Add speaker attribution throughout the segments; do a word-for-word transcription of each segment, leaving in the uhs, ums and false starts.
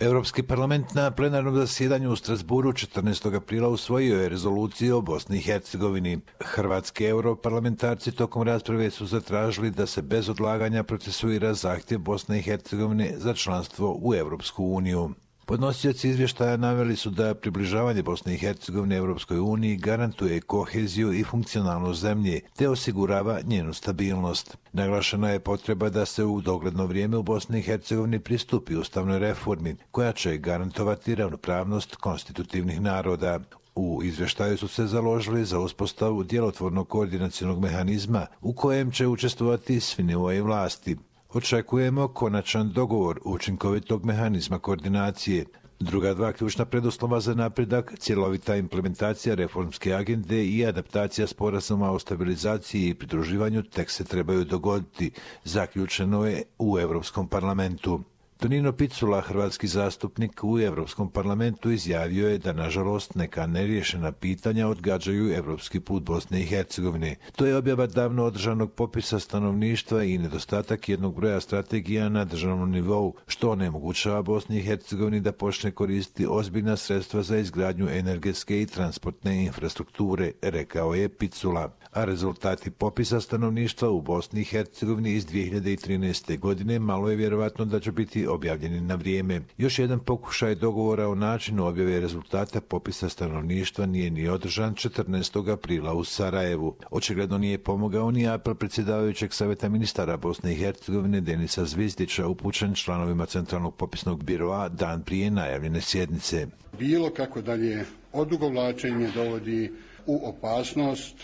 Speaker 1: Europski parlament na plenarnom zasjedanju u Strasburu četrnaestog aprila usvojio je rezoluciju o Bosni i Hercegovini. Hrvatski europarlamentarci tokom rasprave su zatražili da se bez odlaganja procesuira zahtjev Bosne i Hercegovine za članstvo u Europsku uniju. Podnosioci izvještaja naveli su da približavanje Bosne i Hercegovine Europskoj uniji garantuje koheziju i funkcionalnost zemlje, te osigurava njenu stabilnost. Naglašena je potreba da se u dogledno vrijeme u Bosni i Hercegovini pristupi ustavnoj reformi, koja će garantovati ravnopravnost konstitutivnih naroda. U izvještaju su se založili za uspostavu djelotvornog koordinacionog mehanizma u kojem će učestvovati svi nivoi vlasti. Očekujemo konačan dogovor učinkovitog mehanizma koordinacije. Druga dva ključna preduslova za napredak, cjelovita implementacija reformske agende i adaptacija sporazuma o stabilizaciji i pridruživanju tek se trebaju dogoditi, zaključeno je u Europskom parlamentu. Tonino Picula, hrvatski zastupnik u Europskom parlamentu, izjavio je da, nažalost, neka neriješena pitanja odgađaju europski put Bosne i Hercegovine. To je objava davno održanog popisa stanovništva i nedostatak jednog broja strategija na državnom nivou, što onemogućava Bosni i Hercegovini da počne koristiti ozbiljna sredstva za izgradnju energetske i transportne infrastrukture, rekao je Picula. A rezultati popisa stanovništva u Bosni i Hercegovini iz dvije hiljade trinaeste. godine malo je vjerovatno da će biti objavljeni na vrijeme. Još jedan pokušaj dogovora o načinu objave rezultata popisa stanovništva nije ni održan četrnaestog aprila u Sarajevu. Očigledno nije pomogao ni apel predsjedavajućeg savjeta ministara Bosne i Hercegovine Denisa Zvizdića upućen članovima Centralnog popisnog biroa dan prije najavljene sjednice.
Speaker 2: Bilo kako dalje odugovlačenje dovodi u opasnost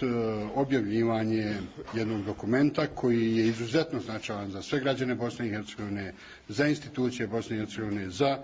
Speaker 2: objavljivanje jednog dokumenta koji je izuzetno značajan za sve građane Bosne i Hercegovine, za institucije Bosne i Hercegovine, za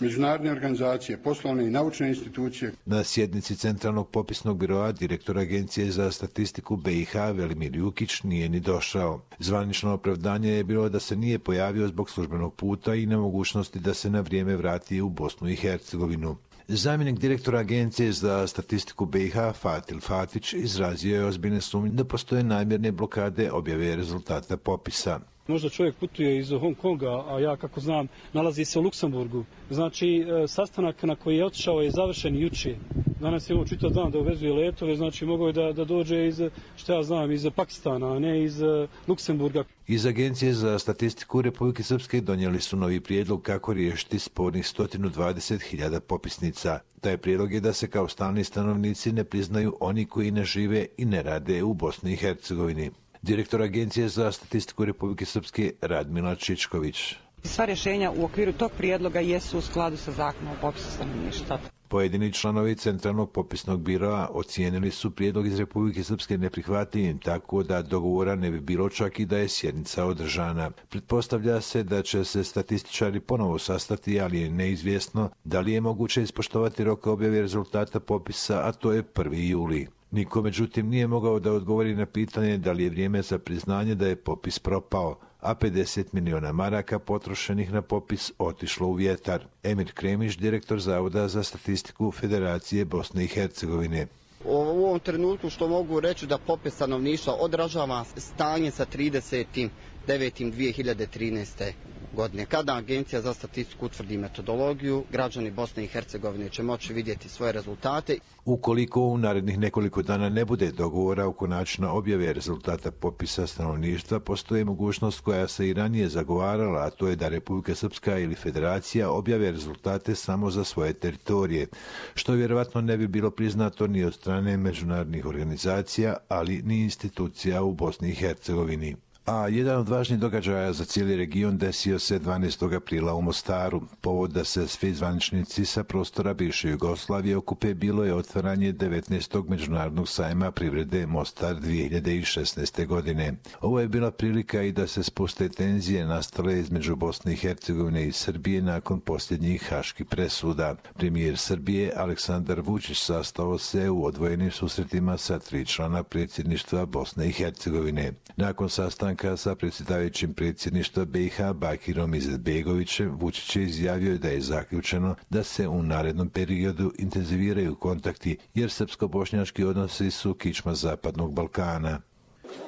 Speaker 2: međunarodne organizacije, poslovne i naučne institucije.
Speaker 1: Na sjednici Centralnog popisnog biroa direktor Agencije za statistiku B i H Velimir Jukić nije ni došao. Zvanično opravdanje je bilo da se nije pojavio zbog službenog puta i nemogućnosti da se na vrijeme vrati u Bosnu i Hercegovinu. Zamjenik direktora Agencije za statistiku B i H Fatil Fatić izrazio je ozbiljne sumnje da postoje namjerne blokade objave rezultata popisa.
Speaker 3: Možda čovjek putuje iz Hong Konga, a ja kako znam nalazi se u Luksemburgu. Znači sastanak na koji je otišao je završen jučer. Danas je on čitav dan da uvezuje letove, znači mogao je da, da dođe iz, što ja znam, iz Pakistana, a ne iz Luksemburga.
Speaker 1: Iz Agencije za statistiku Republike Srpske donijeli su novi prijedlog kako riješiti spornih sto dvadeset hiljada popisnica. Taj prijedlog je da se kao stalni stanovnici ne priznaju oni koji ne žive i ne rade u Bosni i Hercegovini. Direktor Agencije za statistiku Republike Srpske Radmila Čičković.
Speaker 4: Sva rješenja u okviru tog prijedloga jesu u skladu sa zakonom o popisu stanovništva.
Speaker 1: Pojedini članovi Centralnog popisnog biroa ocijenili su prijedlog iz Republike Srpske neprihvatljivim, tako da dogovora ne bi bilo čak i da je sjednica održana. Pretpostavlja se da će se statističari ponovo sastati, ali je neizvjesno da li je moguće ispoštovati rok objave rezultata popisa, a to je prvi juli. Niko, međutim, nije mogao da odgovori na pitanje da li je vrijeme za priznanje da je popis propao, a pedeset miliona maraka potrošenih na popis otišlo u vjetar. Emir Kremić, direktor Zavoda za statistiku Federacije Bosne i Hercegovine.
Speaker 5: U ovom trenutku što mogu reći da popis stanovništva odražava stanje sa tridesetim devetim dvije hiljade trinaeste. godine. Kada Agencija za statistiku utvrdi metodologiju, građani Bosne i Hercegovine će moći vidjeti svoje rezultate.
Speaker 1: Ukoliko u narednih nekoliko dana ne bude dogovora oko načina objave rezultata popisa stanovništva, postoji mogućnost koja se i ranije zagovarala, a to je da Republika Srpska ili Federacija objave rezultate samo za svoje teritorije, što vjerovatno ne bi bilo priznato ni od strane međunarodnih organizacija, ali ni institucija u Bosni i Hercegovini. A jedan od važnijih događaja za cijeli region desio se dvanaestog aprila u Mostaru. Povod da se svi zvaničnici sa prostora bivše Jugoslavije okupe bilo je otvaranje devetnaestog međunarodnog sajma privrede Mostar dvije hiljade šesnaeste. godine. Ovo je bila prilika i da se spuste tenzije nastale između Bosne i Hercegovine i Srbije nakon posljednjih haških presuda. Premijer Srbije Aleksandar Vučić sastao se u odvojenim susretima sa tri člana predsjedništva Bosne i Hercegovine. Nakon sastanka sa predsjedavajućim predsjedništva B i H Bakirom Izetbegovićem, Vučić je izjavio da je zaključeno da se u narednom periodu intenziviraju kontakti, jer srpsko-bošnjački odnosi su kičma Zapadnog Balkana.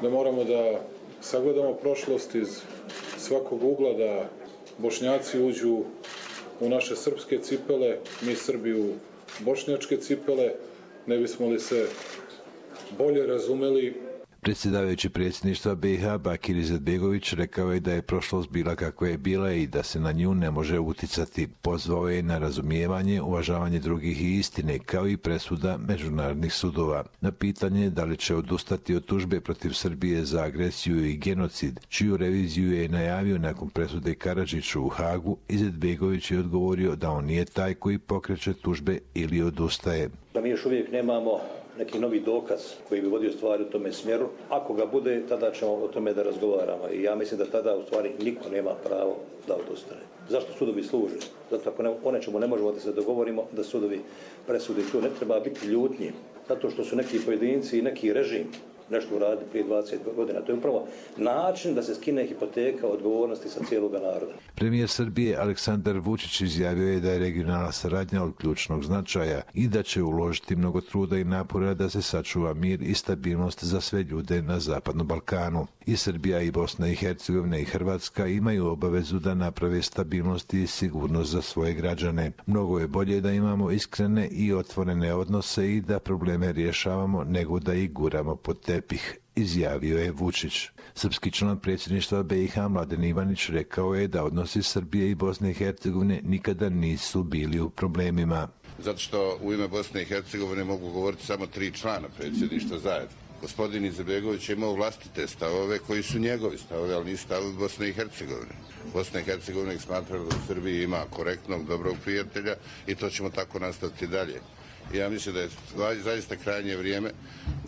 Speaker 6: Da moramo da sagledamo prošlost iz svakog ugla, da Bošnjaci uđu u naše srpske cipele, mi Srbi u bošnjačke cipele, ne bismo li se bolje razumeli.
Speaker 1: Predsjedavajući predsjedništva B i H Bakir Izetbegović rekao je da je prošlost bila kakva je bila i da se na nju ne može uticati. Pozvao je na razumijevanje, uvažavanje drugih i istine, kao i presuda međunarodnih sudova. Na pitanje da li će odustati od tužbe protiv Srbije za agresiju i genocid, čiju reviziju je najavio nakon presude Karadžiću u Hagu, Izetbegović je odgovorio da on nije taj koji pokreće tužbe ili odustaje.
Speaker 7: Da mi još uvijek nemamo neki novi dokaz koji bi vodio stvari u tome smjeru. Ako ga bude, tada ćemo o tome da razgovaramo. I ja mislim da tada u stvari niko nema pravo da odustane. Zašto sudovi služe? Zato ako ne, o nečemu ne možemo da se dogovorimo, da sudovi presudi. Tu ne treba biti ljutnji. Zato što su neki pojedinci i neki režim nešto uradili prije dvadeset godina. To je upravo način da se skine hipoteka odgovornosti sa cijelog naroda.
Speaker 1: Premijer Srbije Aleksandar Vučić izjavio je da je regionalna saradnja od ključnog značaja i da će uložiti mnogo truda i napora da se sačuva mir i stabilnost za sve ljude na Zapadnom Balkanu. I Srbija i Bosna i Hercegovina i Hrvatska imaju obavezu da naprave stabilnost i sigurnost za svoje građane. Mnogo je bolje da imamo iskrene i otvorene odnose i da probleme rješavamo nego da ih guramo pod tepih, izjavio je Vučić. Srpski član predsjedništva B i H Mladen Ivanić rekao je da odnosi Srbije i Bosne i Hercegovine nikada nisu bili u problemima.
Speaker 8: Zato što u ime Bosne i Hercegovine mogu govoriti samo tri člana predsjedništva zajedno. Gospodin Izetbegović je imao vlastite stavove koji su njegovi stavove, ali nisu stavovi Bosne i Hercegovine. Bosna i Hercegovina ih smatra da u Srbiji ima korektnog, dobrog prijatelja i to ćemo tako nastaviti dalje. Ja mislim da je zaista krajnje vrijeme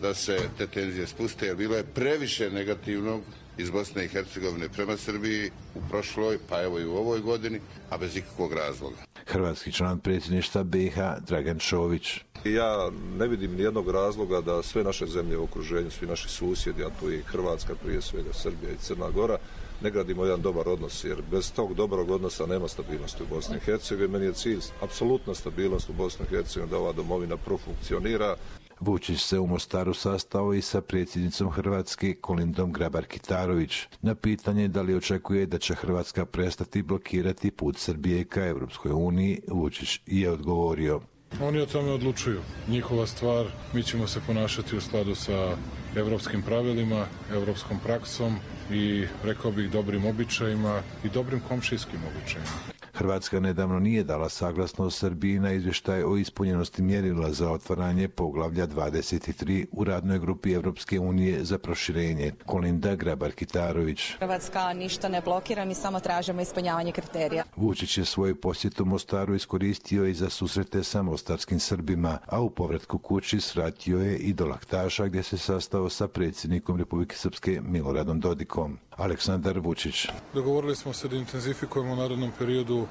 Speaker 8: da se te tenzije spuste, jer bilo je previše negativnog iz Bosne i Hercegovine prema Srbiji u prošloj, pa evo i u ovoj godini, a bez ikakvog razloga.
Speaker 1: Hrvatski član predsjedništva B i H Dragan Čović.
Speaker 9: Ja ne vidim nijednog razloga da sve naše zemlje u okruženju, svi naši susjedi, a tu i Hrvatska, prije svega Srbija i Crna Gora, ne gradimo jedan dobar odnos, jer bez tog dobrog odnosa nema stabilnosti u Bosni i Hercegovini. Meni je cilj apsolutna stabilnost u Bosni i Hercegovini, da ova domovina profunkcionira.
Speaker 1: Vučić se u Mostaru sastao i sa predsjednicom Hrvatske Kolindom Grabar-Kitarović. Na pitanje da li očekuje da će Hrvatska prestati blokirati put Srbije ka Europskoj uniji, Vučić je odgovorio:
Speaker 6: Oni o tome odlučuju. Njihova stvar, mi ćemo se ponašati u skladu sa evropskim pravilima, evropskom praksom i, rekao bih, dobrim običajima i dobrim komšijskim običajima.
Speaker 1: Hrvatska nedavno nije dala saglasnost Srbiji na izvještaj o ispunjenosti mjerila za otvaranje poglavlja dvadeset tri u radnoj grupi Evropske unije za proširenje. Kolinda Grabar-Kitarović.
Speaker 10: Hrvatska ništa ne blokira, mi samo tražimo ispunjavanje kriterija.
Speaker 1: Vučić je svoju posjetu Mostaru iskoristio i za susrete sa mostarskim Srbima, a u povratku kući svratio je i do Laktaša, gdje se sastao sa predsjednikom Republike Srpske Miloradom Dodikom. Aleksandar Vučić.
Speaker 6: Dogovorili smo se da intenzifikujemo u narednom periodu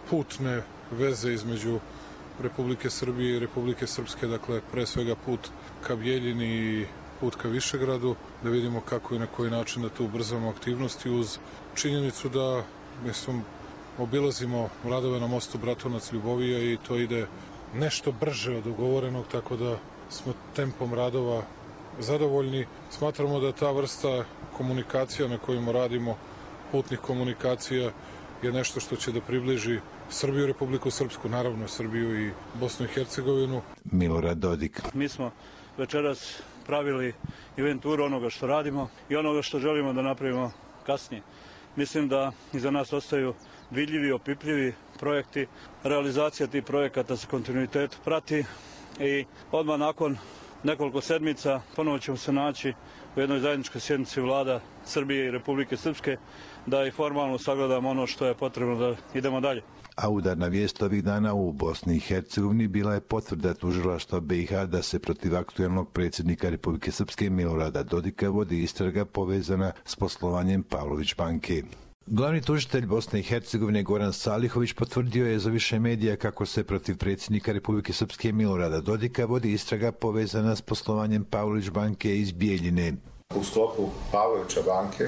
Speaker 6: putne veze između Republike Srbije i Republike Srpske, dakle pre svega put ka Bijeljini i put ka Višegradu, da vidimo kako i na koji način da tu ubrzamo aktivnosti, uz činjenicu da mislim, obilazimo radove na mostu Bratunac-Ljubovija i to ide nešto brže od ugovorenog, tako da smo tempom radova zadovoljni. Smatramo da ta vrsta komunikacija na kojima radimo, putnih komunikacija, je nešto što će da približi Srbiju, Republiku Srpsku, naravno Srbiju i Bosnu i Hercegovinu.
Speaker 1: Milorad Dodik.
Speaker 3: Mi smo večeras pravili inventuru onoga što radimo i onoga što želimo da napravimo kasnije. Mislim da iza nas ostaju vidljivi, opipljivi projekti. Realizacija tih projekata sa kontinuitetom prati i odmah nakon nekoliko sedmica ponovo ćemo se naći u jednoj zajedničkoj sjednici vlada Srbije i Republike Srpske da i formalno sagledamo ono što je potrebno da idemo dalje.
Speaker 1: A udarna vijest ovih dana u Bosni i Hercegovini bila je potvrda tužilaštva B i H da se protiv aktuelnog predsjednika Republike Srpske Milorada Dodika vodi istraga povezana s poslovanjem Pavlović banke. Glavni tužitelj Bosne i Hercegovine Goran Salihović potvrdio je za više medija kako se protiv predsjednika Republike Srpske Milorada Dodika vodi istraga povezana s poslovanjem Pavlović banke iz Bijeljine.
Speaker 11: U sklopu Pavlovića banke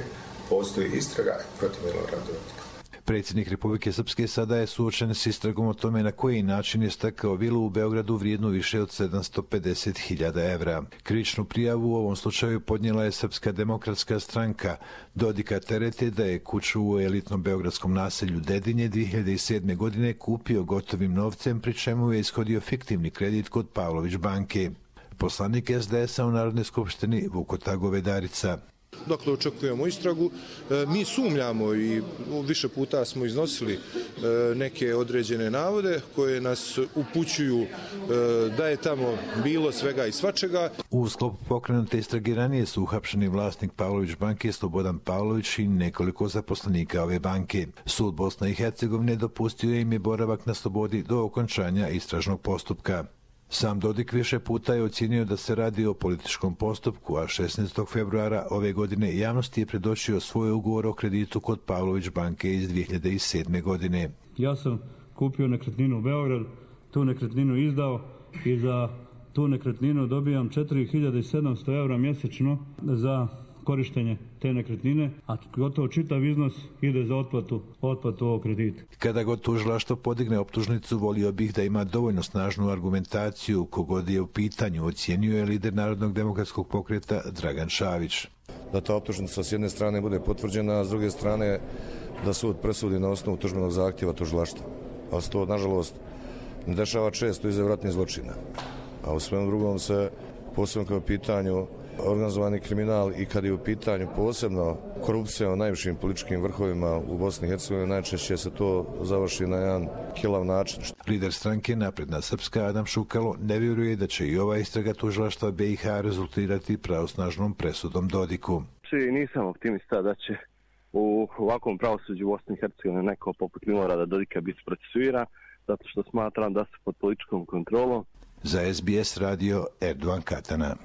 Speaker 11: postoji istraga protiv Milorada Dodika.
Speaker 1: Predsjednik Republike Srpske sada je suočen s istragom o tome na koji način je stekao vilu u Beogradu vrijednu više od sedamsto pedeset hiljada evra. Krivičnu prijavu u ovom slučaju podnijela je Srpska demokratska stranka. Dodika terete da je kuću u elitnom beogradskom naselju Dedinje dvije hiljade sedme. godine kupio gotovim novcem, pri čemu je ishodio fiktivni kredit kod Pavlović banke. Poslanik es de es a u Narodnoj skupštini Vukota Govedarica.
Speaker 11: Dokle očekujemo istragu, mi sumnjamo i više puta smo iznosili neke određene navode koje nas upućuju da je tamo bilo svega i svačega.
Speaker 1: U sklopu pokrenute istrage ranije su uhapšeni vlasnik Pavlović banke Slobodan Pavlović i nekoliko zaposlenika ove banke. Sud Bosne i Hercegovine dopustio im je boravak na slobodi do okončanja istražnog postupka. Sam Dodik više puta je ocjenio da se radi o političkom postupku, a šesnaestog februara ove godine javnosti je predočio svoj ugovor o kreditu kod Pavlović banke iz dvije hiljade sedme. godine.
Speaker 12: Ja sam kupio nekretninu u Beogradu, tu nekretninu izdao i za tu nekretninu dobijam četiri hiljade sedamsto evra mjesečno za korištenje te nekretnine, a gotovo čitav iznos ide za otplatu, otplatu ovog kredita.
Speaker 1: Kada god tužilaštvo podigne optužnicu, volio bih da ima dovoljno snažnu argumentaciju, kogod je u pitanju, ocjenjuje je lider Narodnog demokratskog pokreta Dragan Šavić.
Speaker 13: Da ta optužnica s jedne strane bude potvrđena, a s druge strane da sud presudi na osnovu tužbenog zahtjeva tužilaštva. Ali se to, nažalost, ne dešava često iza ratnih zločina. A u svem drugom se, posebno kao pitanju organizovani kriminal i kad je u pitanju posebno korupcija u najvišim političkim vrhovima u Bosni i Hercegovini, najčešće se to završi na jedan kilav način.
Speaker 1: Lider stranke Napredna Srpska Adam Šukalo ne vjeruje da će i ova istraga tužilaštva be i ha rezultirati pravosnažnom presudom Dodiku.
Speaker 14: Nisam optimista da će u ovakvom pravosuđu u Bosni i Hercegovini neko poput Milorada Dodika biti procesuiran, zato što smatram da su pod političkom kontrolom.
Speaker 1: Za es be es radio Erdogan Katana.